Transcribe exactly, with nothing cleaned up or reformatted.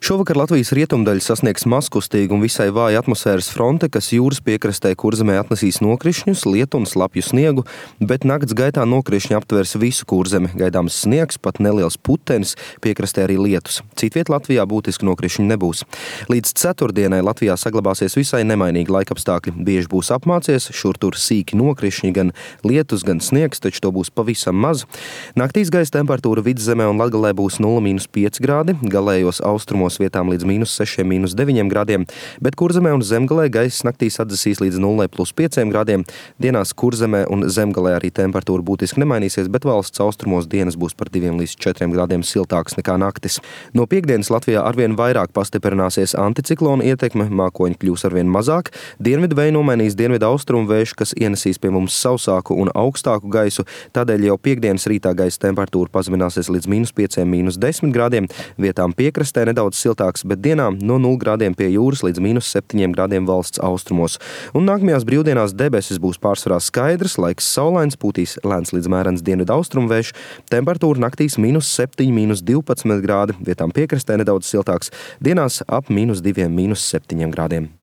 Šovakar Latvijas rietumdaļa sasniegs mazkustīgu un visai vāja atmosfēras fronte, kas jūras piekrastē Kurzemē atnesīs nokrišņus, lietu un slapju sniegu, bet nakts gaitā nokrišņi aptvers visu Kurzemi. Gaidāms sniegs, pat neliels putenis, piekrastē arī lietus. Citviet Latvijā būtiski nokrišņi nebūs. Līdz ceturtdienai Latvijā saglabāsies visai nemainīgi laikapstākļi. Bieži būs apmācies, šur tur sīki nokrišņi, gan lietus, gan sniegs, taču to būs pavisam maz. Naktīs gaisa temperatūra Vidzemē un Latgalē būs nulle mīnus pieci grādi, galējos austrumos vietām līdz mīnus sešiem, mīnus deviņiem grādiem, bet Kurzemē un Zemgalē gaisa naktīs atdzesīs līdz nulle plus pieciem grādiem. Dienās Kurzemē un Zemgalē arī temperatūra būtiski nemainīsies, bet valsts austrumos dienas būs par diviem līdz četriem grādiem siltāks nekā naktis. No piektdienas Latvijā arvien vairāk pastiprināsies anticiklona ietekme, mākoņi kļūs arvien mazāk, dienvidu vēju nomainīs dienvidu austrumu vējš, kas ienesīs pie mums sausāku un augstāku gaisu, tādēļ jau piektdienas rītā gaisa temperatūra pazemināsies līdz mīnus pieciem, mīnus desmit grādiem, vietām piekrastē nedaudz siltāks, bet dienām no nulle grādiem pie jūras līdz mīnus septiņiem grādiem valsts austrumos. Un nākamajās brīvdienās debesis būs pārsvarā skaidrs, laiks saulains, pūtīs lēns līdz mērens dienvidu austrumu vējš, temperatūra naktīs mīnus septiņi, mīnus divpadsmit grādi, vietām piekrastē nedaudz siltāks, dienās ap mīnus diviem, mīnus septiņiem grādiem.